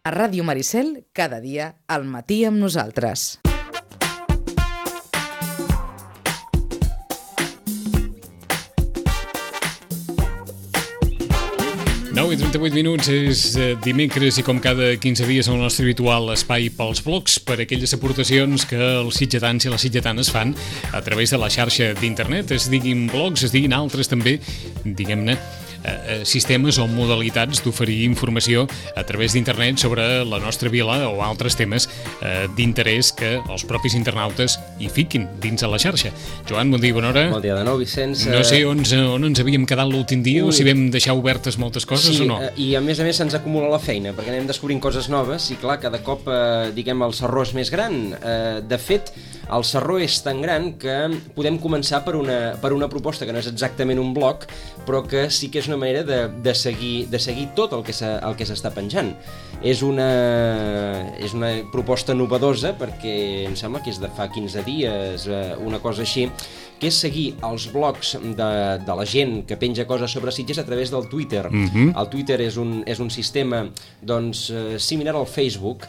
A Ràdio Maricel, cada dia, al matí amb nosaltres. Nou i 38 minuts, és dimecres i com cada 15 dies el nostre habitual espai pels blogs per aquelles aportacions que els sitgetans i les sitgetanes fan a través de la xarxa d'internet, es diguin blogs, es diguin altres també, diguem-ne, sistemes o modalitats d'oferir informació a través d'internet sobre la nostra vila o altres temes d'interès que els propis internautes hi fiquin dins de la xarxa. Joan, bon dia, bona hora. Bon dia de nou, Vicenç. No sé on ens havíem quedat l'últim dia o si vam deixar obertes moltes coses o no. I a més se'ns acumula la feina perquè anem descobrint coses noves i clar, cada cop diguem el sarró és més gran. De fet, el sarró és tan gran que podem començar per una proposta que no és exactament un blog, però que sí que és una manera de seguir tot el que s'està penjant. És una proposta novedosa perquè em sembla que és de fa 15 dies, una cosa així, que és seguir els blogs de la gent que penja coses sobre Sitges a través del Twitter. El Twitter és un sistema similar al Facebook.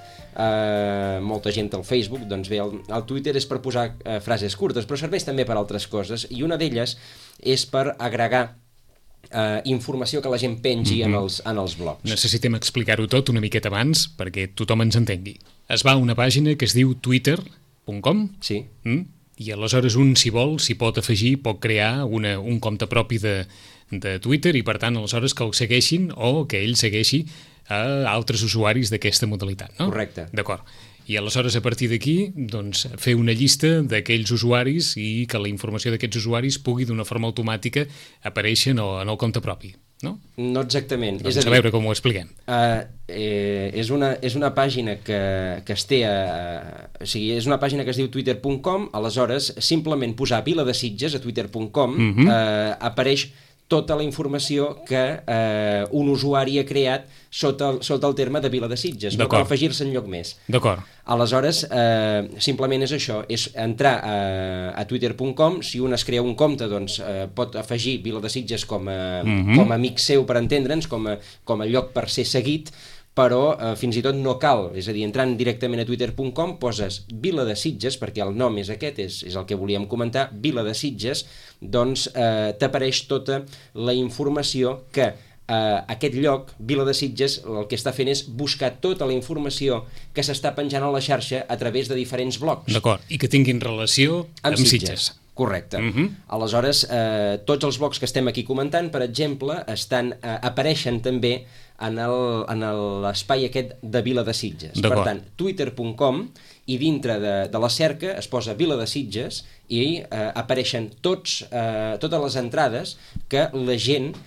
Molta gent al Facebook, doncs bé, el Twitter és per posar frases curtes, però serveix també per altres coses, i una d'elles és per agregar informació que la gent pengi en els blogs. Necessitem explicar-ho tot una miqueta abans perquè tothom ens entengui. Es va a una pàgina que es diu twitter.com. Sí. I aleshores un, si vol, s'hi pot afegir, pot crear un compte propi de Twitter i per tant aleshores que el segueixin o que ell segueixi a altres usuaris d'aquesta modalitat, no? Correcte. D'acord. I aleshores a partir d'aquí doncs, fer una llista d'aquells usuaris i que la informació d'aquests usuaris pugui d'una forma automàtica aparèixer en el compte propi, no? No exactament. Doncs a veure com ho expliquem. És una pàgina que es té o sigui, és una pàgina que es diu twitter.com, aleshores simplement posar Vila de Sitges a twitter.com apareix tota la informació que un usuari ha creat sota el terme de Vila de Sitges, no cal afegir-se enlloc més. D'acord. Aleshores, simplement és això, és entrar a twitter.com, si un es crea un compte, doncs pot afegir Vila de Sitges com a amic seu, per entendre'ns, com a lloc per ser seguit, però fins i tot no cal, és a dir, entrant directament a twitter.com poses Vila de Sitges, perquè el nom és aquest, és el que volíem comentar, Vila de Sitges, doncs t'apareix tota la informació que aquest lloc, Vila de Sitges, el que està fent és buscar tota la informació que s'està penjant a la xarxa a través de diferents blogs. D'acord, i que tinguin relació amb Sitges. Correcte. Aleshores, tots els blogs que estem aquí comentant, per exemple, apareixen també en l'espai aquest de Vila de Sitges. Per tant, twitter.com, i dintre de la cerca es posa Vila de Sitges i apareixen totes les entrades que la gent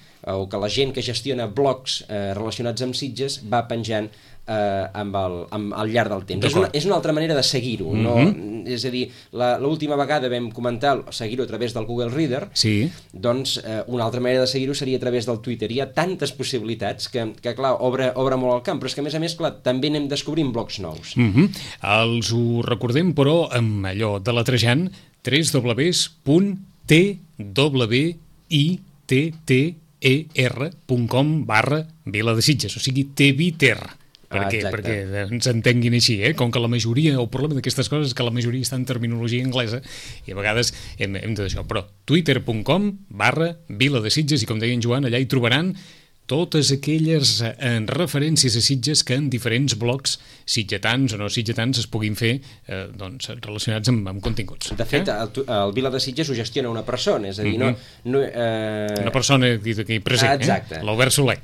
que gestiona blogs relacionats amb Sitges va penjant al llarg del temps. És una altra manera de seguir-ho. És a dir, l'última vegada vam comentar seguir-ho a través del Google Reader, doncs una altra manera de seguir-ho seria a través del Twitter. Hi ha tantes possibilitats que clar, obre molt el camp, però és que a més, clar, també anem descobrint blogs nous. Els ho recordem, però amb allò de letrejant www.twitter.com/Vila de Sitges, o sigui, Tviter. Perquè ens entenguin així, com que la majoria, el problema d'aquestes coses és que la majoria està en terminologia anglesa i a vegades hem de d'això, però twitter.com/Vila de Sitges, i com deia en Joan, allà hi trobaran totes aquelles referències a Sitges que en diferents blogs sitgetans o no sitgetans es puguin fer relacionats amb continguts. De fet, el Vila de Sitges ho gestiona una persona, és a dir, una persona aquí present, l'Albert Soler.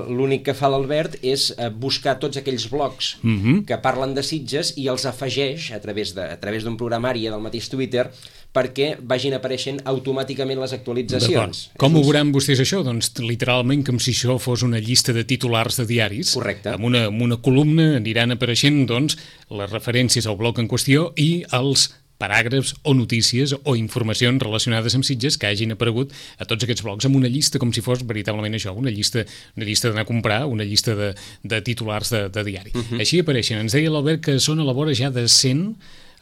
L'únic que fa l'Albert és buscar tots aquells blogs que parlen de Sitges i els afegeix a través d'un programari del mateix Twitter perquè vagin apareixent automàticament les actualitzacions. Com ho veuran vostès això? Doncs literalment com si això fos una llista de titulars de diaris. Correcte. Amb una columna aniran apareixent doncs, les referències al blog en qüestió i els paràgrafs o notícies o informacions relacionades amb Sitges que hagin aparegut a tots aquests blogs amb una llista com si fos veritablement això, una llista d'anar a comprar, una llista de titulars de diari. Així apareixen. Ens deia l'Albert que són a la vora ja de 100,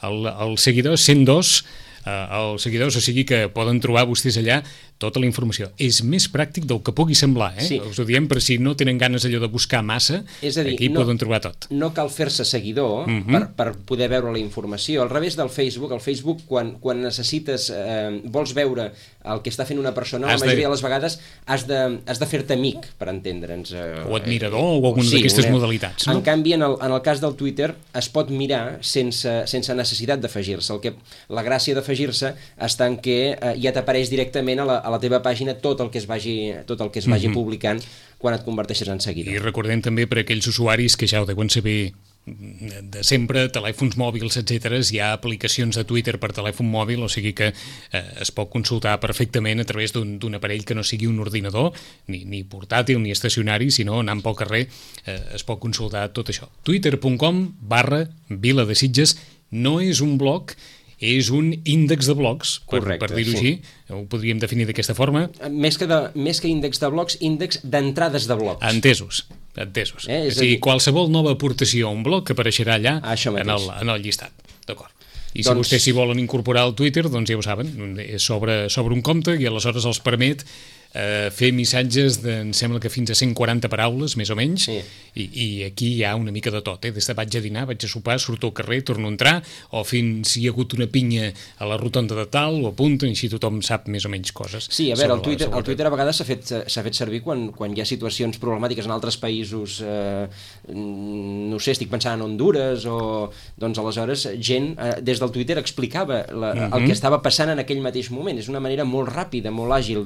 el seguidor 102 als seguidors, o sigui que poden trobar vostès allà tota la informació. És més pràctic del que pugui semblar, Sí. Us ho diem per si no tenen ganes allò de buscar massa, És a dir, aquí poden trobar tot. No cal fer-se seguidor per poder veure la informació. Al revés del Facebook, quan necessites, vols veure el que està fent una persona, la majoria de les vegades has de fer-te amic, per entendre'ns. O admirador, o alguna d'aquestes modalitats. No? En canvi, en el cas del Twitter, es pot mirar sense necessitat d'afegir-se. La gràcia d'afegir-se està en que ja t'apareix directament a la teva pàgina tot el que es vagi publicant quan et converteixes en seguidor. I recordem també per aquells usuaris que ja ho deuen saber de sempre, telèfons mòbils, etc. Hi ha aplicacions de Twitter per telèfon mòbil, o sigui que es pot consultar perfectament a través d'un aparell que no sigui un ordinador, ni portàtil ni estacionari, sinó anant pel carrer es pot consultar tot això. Twitter.com/Viladesitges no és un blog, és un índex de blogs, per dir-ho així. Ho podríem definir d'aquesta forma. Més que índex de blogs, índex d'entrades de blogs. Entesos. O sigui, qualsevol nova aportació a un blog que apareixerà allà en el llistat. D'acord. I si vostès s'hi volen incorporar al Twitter, doncs ja ho saben, és sobre un compte i aleshores els permet fer missatges em sembla que fins a 140 paraules, més o menys, i aquí hi ha una mica de tot, des de vaig a dinar, vaig a sopar, surto al carrer, torno a entrar, o fins si hi ha hagut una pinya a la rotonda de tal, ho apunten, i així tothom sap més o menys coses. Sí, a veure, el Twitter a vegades s'ha fet servir quan hi ha situacions problemàtiques en altres països, no sé, estic pensant en Honduras, o doncs aleshores gent des del Twitter explicava el que estava passant en aquell mateix moment. És una manera molt ràpida, molt àgil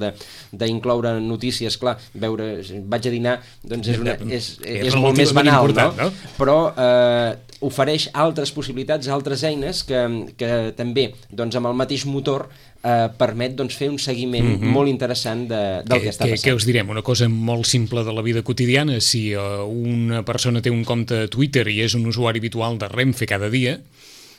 d'incloure notícies. Clar, vaig a dinar, doncs és molt més banal, no? Però ofereix altres possibilitats, altres eines que també, doncs amb el mateix motor, permet fer un seguiment molt interessant del que està passant. Què us direm? Una cosa molt simple de la vida quotidiana. Si una persona té un compte a Twitter i és un usuari habitual de Renfe cada dia,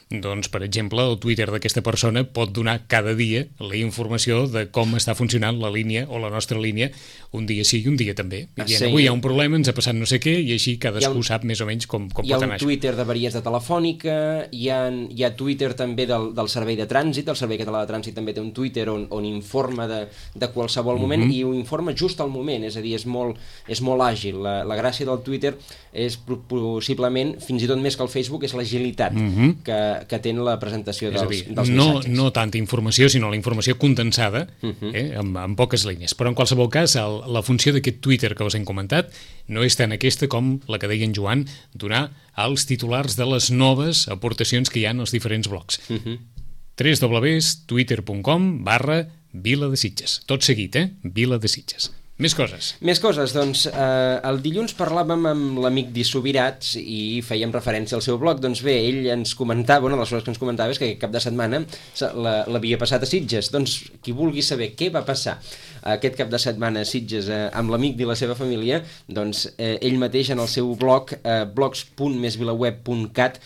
doncs, per exemple, el Twitter d'aquesta persona pot donar cada dia la informació de com està funcionant la línia o la nostra línia, un dia sí i un dia també. Avui hi ha un problema, ens ha passat no sé què, i així cadascú sap més o menys com pot anar. Hi ha un Twitter d'avaries de Telefònica, hi ha Twitter també del Servei de Trànsit, el Servei Català de Trànsit també té un Twitter on informa de qualsevol moment, i ho informa just al moment, és a dir, és molt àgil. La gràcia del Twitter és possiblement, fins i tot més que el Facebook, és l'agilitat que té la presentació dels missatges. No tanta informació, sinó la informació condensada, en poques línies. Però en qualsevol cas, la funció d'aquest Twitter que us hem comentat no és tant aquesta com la que deia en Joan, donar als titulars de les noves aportacions que hi ha als diferents blogs. www.twitter.com/Viladesitges. Tot seguit, Viladesitges. Més coses. Doncs el dilluns parlàvem amb l'amic Subirats i fèiem referència al seu blog. Doncs bé, ell ens comentava, una de les coses que ens comentava és que aquest cap de setmana l'havia passat a Sitges. Doncs qui vulgui saber què va passar aquest cap de setmana a Sitges amb l'amic i la seva família, doncs ell mateix en el seu blog, blogs.mesvilaweb.cat,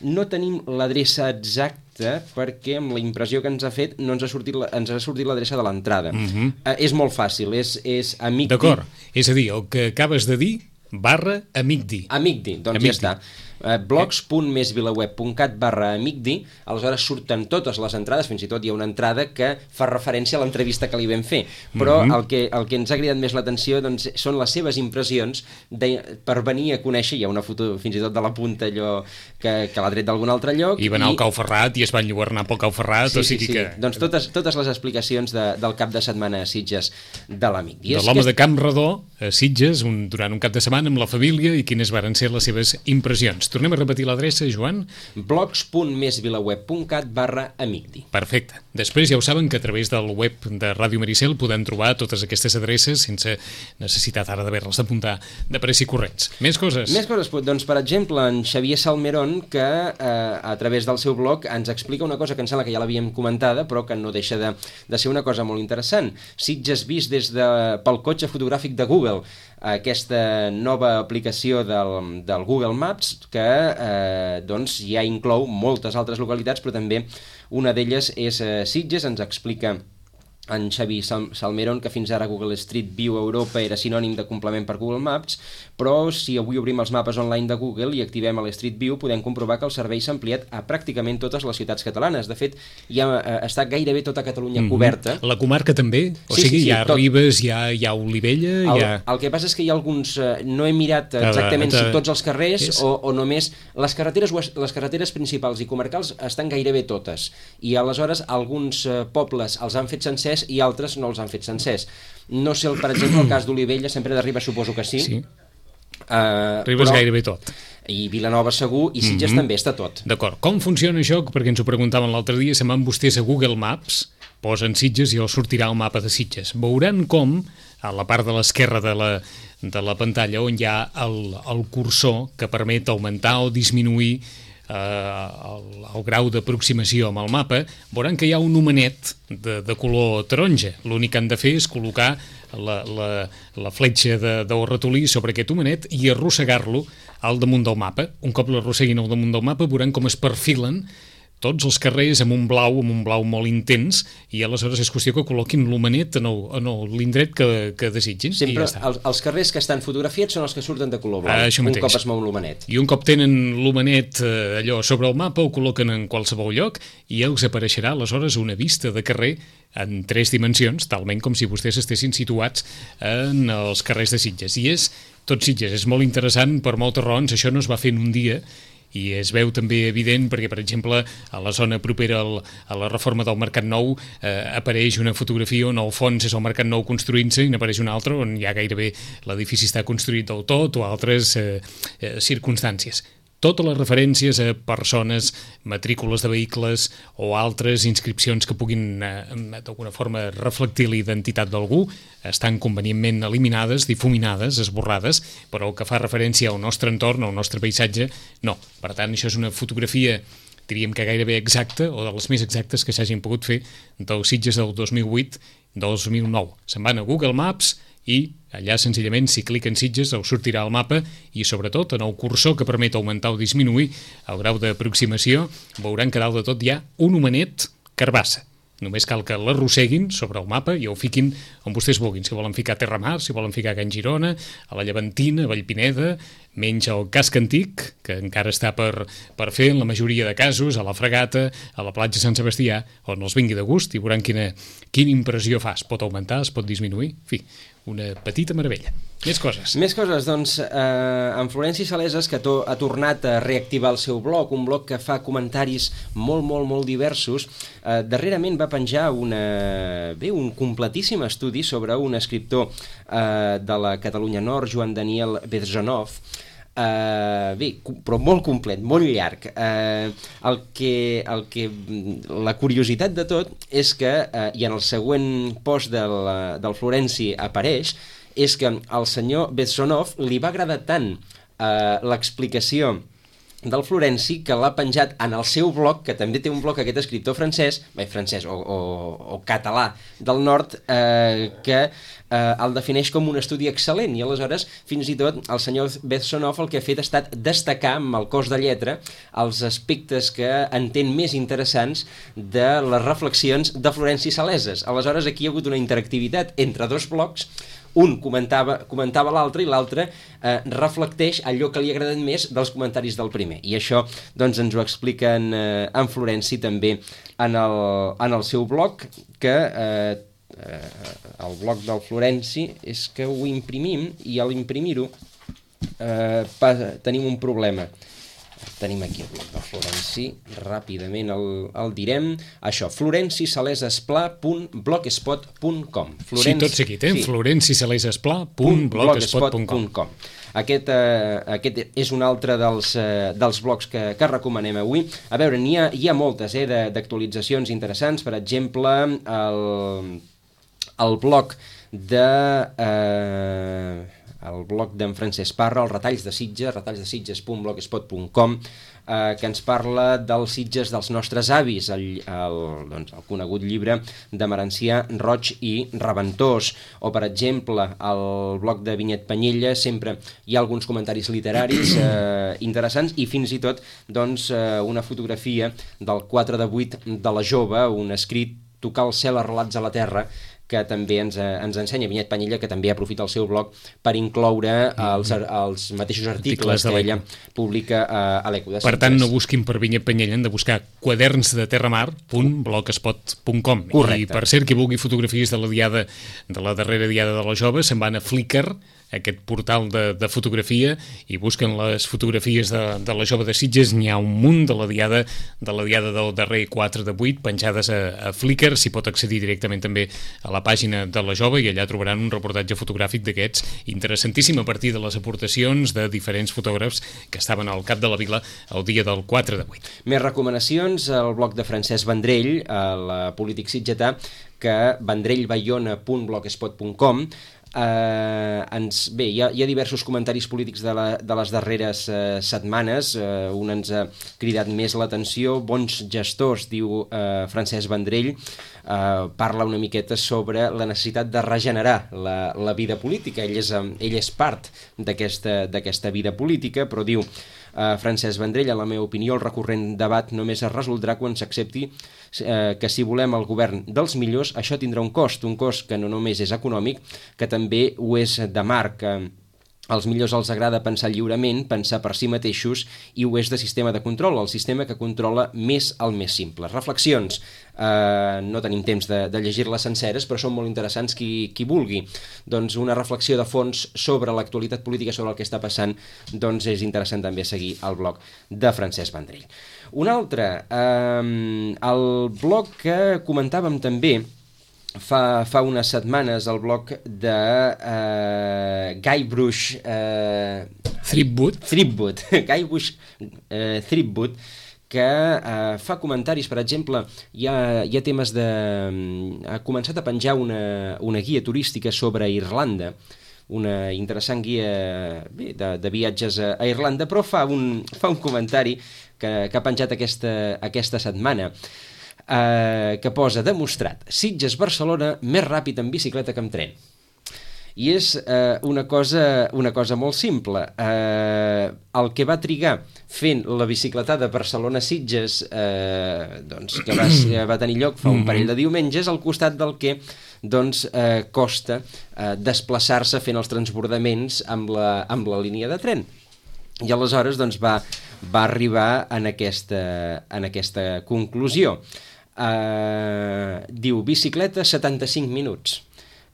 no tenim l'adreça exacta perquè amb la impressió que ens ha fet no ens ha sortit l'adreça de l'entrada. És molt fàcil, és amicdi. D'acord, és a dir, el que acabes de dir /amicdi. Amicdi, doncs ja està. blogs.mesvilaweb.cat/amicdi, aleshores surten totes les entrades, fins i tot hi ha una entrada que fa referència a l'entrevista que li vam fer, però el que ens ha cridat més l'atenció són les seves impressions per venir a conèixer. Hi ha una foto fins i tot de la punta allò que l'ha tret d'algun altre lloc. I va anar al Cau Ferrat i es va enlluernar pel Cau Ferrat, o sigui que... Doncs totes les explicacions del cap de setmana a Sitges de l'amic. De l'home de Camp Redó a Sitges durant un cap de setmana amb la família i quines varen ser les seves impressions. Tornem a repetir l'adreça, Joan? blogs.mesvilaweb.cat/amicdi. Perfecte. Després ja ho saben que a través del web de Ràdio Maricel podem trobar totes aquestes adreces sense necessitat ara d'haver-les d'apuntar de pressa i corrents. Més coses? Més coses, doncs per exemple en Xavier Salmerón, que a través del seu blog ens explica una cosa que em sembla que ja l'havíem comentada, però que no deixa de ser una cosa molt interessant. Sitges vist pel cotxe fotogràfic de Google, aquesta nova aplicació del Google Maps que doncs ja inclou moltes altres localitats, però també una d'elles és Sitges. Ens explica en Xavi Salmerón, que fins ara Google Street View Europa era sinònim de complement per Google Maps, però si avui obrim els mapes online de Google i activem el Street View, podem comprovar que el servei s'ha ampliat a pràcticament totes les ciutats catalanes. De fet, ja està gairebé tota Catalunya coberta. La comarca també? O sigui, hi ha Ribes, hi ha Olivella... El que passa és que hi ha alguns... no he mirat exactament si tots els carrers o només... Les carreteres principals i comarcals estan gairebé totes. I aleshores alguns pobles els han fet sencers i altres no els han fet sencers. No sé, per exemple, el cas d'Olivella, sempre de Ribes suposo que sí. Ribes gairebé tot. I Vilanova segur, i Sitges també està tot. D'acord. Com funciona això? Perquè ens ho preguntaven l'altre dia, se'n van vostès a Google Maps, posen Sitges i els sortirà el mapa de Sitges. Veuran com, a la part de l'esquerra de la pantalla, on hi ha el cursor que permet augmentar o disminuir el grau d'aproximació amb el mapa, veuran que hi ha un homenet de color taronja. L'únic que han de fer és col·locar la fletxa del ratolí sobre aquest homenet i arrossegar-lo al damunt del mapa. Un cop l'arrosseguin al damunt del mapa, veuran com es perfilen tots els carrers amb un blau molt intens, i aleshores és qüestió que col·loquin l'homenet en l'indret que desitgin. Sempre els carrers que estan fotografiats són els que surten de color blau, un cop es mou l'homenet. I un cop tenen l'homenet allò sobre el mapa, ho col·loquen en qualsevol lloc i els apareixerà aleshores una vista de carrer en 3 dimensions, talment com si vostès estessin situats en els carrers de Sitges. I tot Sitges és molt interessant per moltes raons. Això no es va fer en un dia, i es veu també evident perquè, per exemple, a la zona propera a la reforma del Mercat Nou apareix una fotografia on al fons és el Mercat Nou construint-se i n'apareix una altra on ja gairebé l'edifici està construït del tot o altres circumstàncies. Totes les referències a persones, matrícules de vehicles o altres inscripcions que puguin d'alguna forma reflectir la identitat d'algú estan convenientment eliminades, difuminades, esborrades, però el que fa referència al nostre entorn, al nostre paisatge, no. Per tant, això és una fotografia, diríem que gairebé exacta, o de les més exactes que s'hagin pogut fer, del Sitges del 2008-2009. Se'n van a Google Maps i allà senzillament si cliquen Sitges us sortirà el mapa i sobretot en el cursor que permet augmentar o disminuir el grau d'aproximació veuran que dalt de tot hi ha un homenet carbassa. Només cal que l'arrosseguin sobre el mapa i ho fiquin on vostès vulguin. Si volen ficar Terramar, si volen ficar Can Girona, a la Llevantina, a Vallpineda, menys el casc antic, que encara està per fer en la majoria de casos, a la Fragata, a la platja Sant Sebastià, on els vingui de gust i veuran quina impressió fa. Es pot augmentar, es pot disminuir, en fi, una petita meravella. Més coses. Més coses, doncs, en Florenci Saleses, que ha tornat a reactivar el seu blog, un blog que fa comentaris molt diversos. Darrerament va penjar un completíssim estudi sobre un escriptor de la Catalunya Nord, Joan Daniel Bezjonov, però molt complet, molt llarg. La curiositat de tot és que, i en el següent post del Florenci apareix, és que al senyor Bezjonov li va agradar tant l'explicació del Florenci que l'ha penjat en el seu blog, que també té un blog aquest escriptor francès o català del nord, que el defineix com un estudi excel·lent, i aleshores fins i tot el senyor Bezjonov el que ha fet ha estat destacar amb el cos de lletra els aspectes que entén més interessants de les reflexions de Florenci Saleses. Aleshores aquí hi ha hagut una interactivitat entre dos blogs, un comentava l'altre i l'altre reflecteix allò que li ha agradat més dels comentaris del primer, i això doncs ens ho explica en Florenci també en el seu blog, que el blog del Florenci és que ho imprimim i a l'imprimir-ho tenim un problema. Tenim aquí el blog del Florenci, ràpidament el direm, això, florencissalesespla.blogspot.com. Sí, tot seguit, florencissalesespla.blogspot.com. Aquest és un altre dels blogs que recomanem avui. A veure, hi ha moltes d'actualitzacions interessants, per exemple, el blog d'en Francesc Parra, els retalls de Sitges, retallsdesitges.blogspot.com, que ens parla dels Sitges dels nostres avis, el conegut llibre de Merencià, Roig i Reventós, o per exemple el blog de Vinyet Penyella, sempre hi ha alguns comentaris literaris interessants, i fins i tot una fotografia del 4/8 de la Jove, un escrit Tocar el cel, relats a la terra, que també ens ensenya Vinyet Panyella, que també aprofita el seu blog per incloure els mateixos articles que ella publica a l'Eco de Sitges. Per tant, no busquin per Vinyet Panyella, han de buscar quadernsdeterramar.blogspot.com. I per cert, qui vulgui fotografies de la darrera diada de la Jove, se'n van a Flickr, aquest portal de fotografia, i busquen les fotografies de la Jove de Sitges. N'hi ha un munt de la diada del darrer 4 de 8 penjades a Flickr. S'hi pot accedir directament també a la pàgina de la Jove i allà trobaran un reportatge fotogràfic d'aquests interessantíssim a partir de les aportacions de diferents fotògrafs que estaven al cap de la vila el dia del 4 de 8. Més recomanacions al blog de Francesc Vendrell, el polític sitgetà, que vendrellbayona.blogspot.com. Bé, hi ha diversos comentaris polítics de les darreres setmanes. Un ens ha cridat més l'atenció. Bons gestors, diu Francesc Vendrell, parla una miqueta sobre la necessitat de regenerar la vida política. Ell és part d'aquesta vida política, però diu Francesc Vendrell, en la meva opinió, el recurrent debat només es resoldrà quan s'accepti que si volem el govern dels millors, això tindrà un cost que no només és econòmic, que també ho és de marc. Als millors els agrada pensar lliurement, pensar per si mateixos, i ho és de sistema de control, el sistema que controla més el més simple. Reflexions. No tenim temps de llegir-les senceres, però són molt interessants qui vulgui. Doncs una reflexió de fons sobre l'actualitat política, sobre el que està passant, doncs és interessant també seguir el blog de Francesc Vendrell. Un altre, el blog que comentàvem també fa unes setmanes, el blog de Guybrush Threepwood, que fa comentaris. Per exemple, hi ha temes ha començat a penjar una guia turística sobre Irlanda, una interessant guia de viatges a Irlanda, però fa un comentari que ha penjat aquesta setmana, que posa: demostrat, Sitges-Barcelona més ràpid en bicicleta que amb tren. I és una cosa molt simple. El que va trigar fent la bicicletada Barcelona-Sitges, que va tenir lloc fa un parell de diumenges, al costat del que costa desplaçar-se fent els transbordaments amb la línia de tren. I aleshores va arribar en aquesta conclusió. Diu: bicicleta 75 minuts,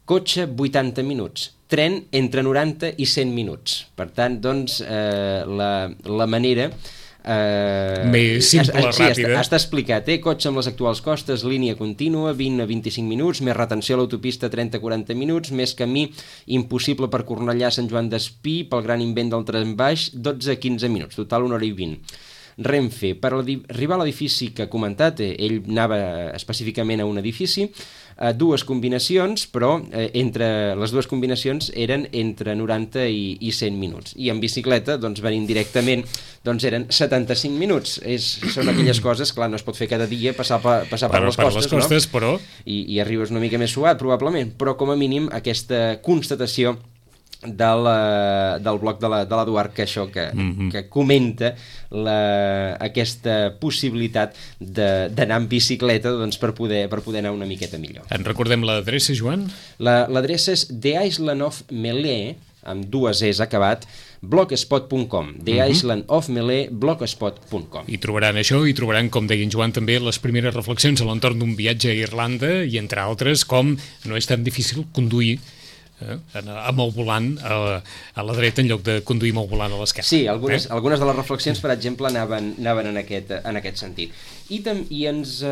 cotxe 80 minuts, tren entre 90 i 100 minuts. Per tant, la manera més simple, ràpida. Està explicat, cotxe amb les actuals costes, línia contínua, 20 a 25 minuts, més retenció a l'autopista 30-40 minuts, més camí impossible per Cornellà, Sant Joan d'Espí, pel gran invent del tren baix, 12 a 15 minuts, total 1 hora i 20. Renfe, per arribar a l'edifici que ha comentat, ell anava específicament a un edifici, dues combinacions, però entre les dues combinacions eren entre 90 i 100 minuts. I en bicicleta, venint directament, eren 75 minuts. Són aquelles coses, clar, no es pot fer cada dia, passar per les costes, no? Però... I arribes una mica més suat, probablement, però com a mínim aquesta constatació del blog de l'Eduard, que comenta aquesta possibilitat d'anar en bicicleta per poder anar una miqueta millor. En recordem l'adreça, Joan? L'adreça és The Island of Melee, amb 2 Es acabat, blogspot.com, The Island of Melee, blogspot.com. I trobaran això, i trobaran, com deia en Joan, també les primeres reflexions a l'entorn d'un viatge a Irlanda, i entre altres, com no és tan difícil conduir amb el volant a la dreta en lloc de conduir amb el volant a l'esquerra. Sí, algunes de les reflexions, per exemple, anaven en aquest sentit. I ens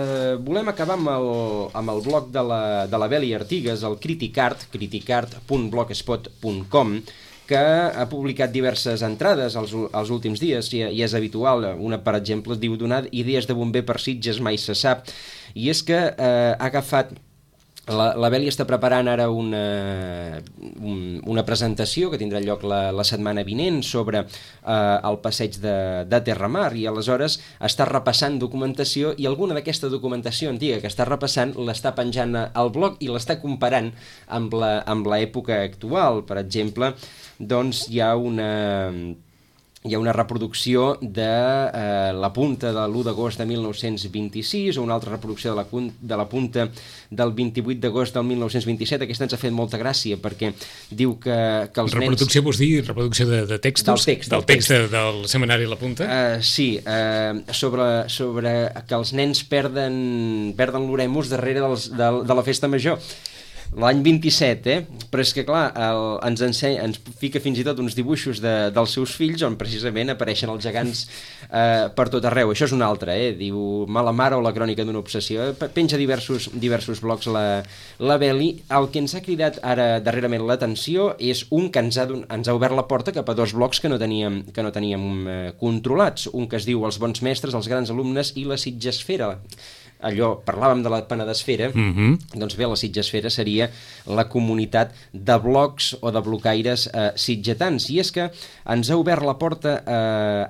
volem acabar amb el blog de la Beli Artigas, el criticart.blogspot.com, que ha publicat diverses entrades els últims dies, i és habitual. Una, per exemple, es diu: donar idees de bomber per Sitges mai se sap. I és que ha agafat... La Beli està preparant ara una presentació que tindrà lloc la setmana vinent sobre el passeig de Terramar, i aleshores està repassant documentació, i alguna d'aquesta documentació antiga que està repassant l'està penjant al blog i l'està comparant amb l'època actual. Per exemple, hi ha hi ha una reproducció de la punta de l'1 d'agost de 1926 o una altra reproducció de la punta del 28 d'agost del 1927. Aquesta ens ha fet molta gràcia perquè diu que els nens... Reproducció vols dir reproducció de textos? Del text del setmanari La Punta? Sí, sobre que els nens perden l'oremus darrere de la festa major. L'any 27, però és que clar, ens fica fins i tot uns dibuixos dels seus fills on precisament apareixen els gegants per tot arreu. Això és un altre, diu Mala mare o la crònica d'una obsessió. Penja diversos blogs la Beli. El que ens ha cridat ara darrerament l'atenció és un que ens ha obert la porta cap a 2 blogs que no teníem controlats. Un que es diu Els bons mestres, els grans alumnes i la Sitgesfera. Allò, parlàvem de la Penedesfera, doncs bé, la Sitgesfera seria la comunitat de blogs o de blocaires sitgetans, i és que ens ha obert la porta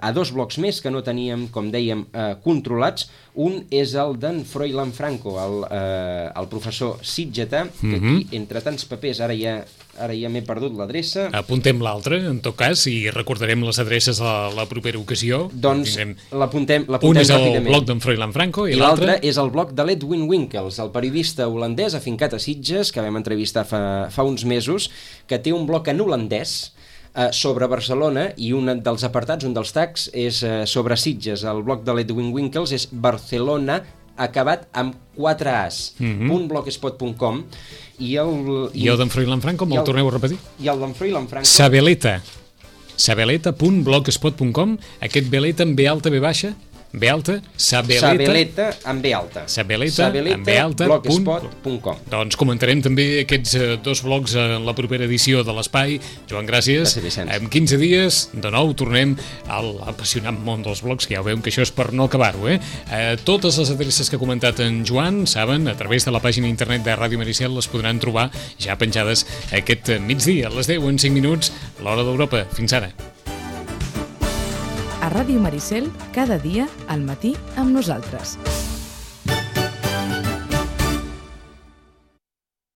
a 2 blogs més que no teníem, com dèiem, controlats. Un és el d'en Froilan Franco, el professor sitgetà, que aquí, entre tants papers, ara ja m'he perdut l'adreça. Apuntem l'altre, en tot cas, i recordarem les adreces a la propera ocasió. Doncs l'apuntem ràpidament. Un és el blog d'en Froilan Franco i l'altre és el blog de l'Edwin Winkels, el periodista holandès afincat a Sitges, que vam entrevistar fa uns mesos, que té un blog en holandès sobre Barcelona, i un dels apartats, un dels tags, és sobre Sitges. El blog de l'Edwin Winkels és Barcelona, acabat amb 4 As, .blogspot.com, i el d'en Froilan Franco, me'l torneu a repetir? I el d'en Froilan Franco... Sabeleta.blogspot.com, aquest Beleta amb B alta, B baixa... B alta, Sabeleta amb B alta. Sabeleta amb B alta. Blogspot.com. Doncs comentarem també aquests 2 blogs en la propera edició de l'Espai. Joan, gràcies. En 15 dies, de nou, tornem a l'apassionant món dels blogs, que ja veiem que això és per no acabar-ho, Totes les adreces que ha comentat en Joan, saben, a través de la pàgina internet de Ràdio Maricel les podran trobar ja penjades aquest migdia, a les 10 en 5 minuts, l'hora d'Europa. Fins ara. A Ràdio Maricel, cada dia, al matí, amb nosaltres.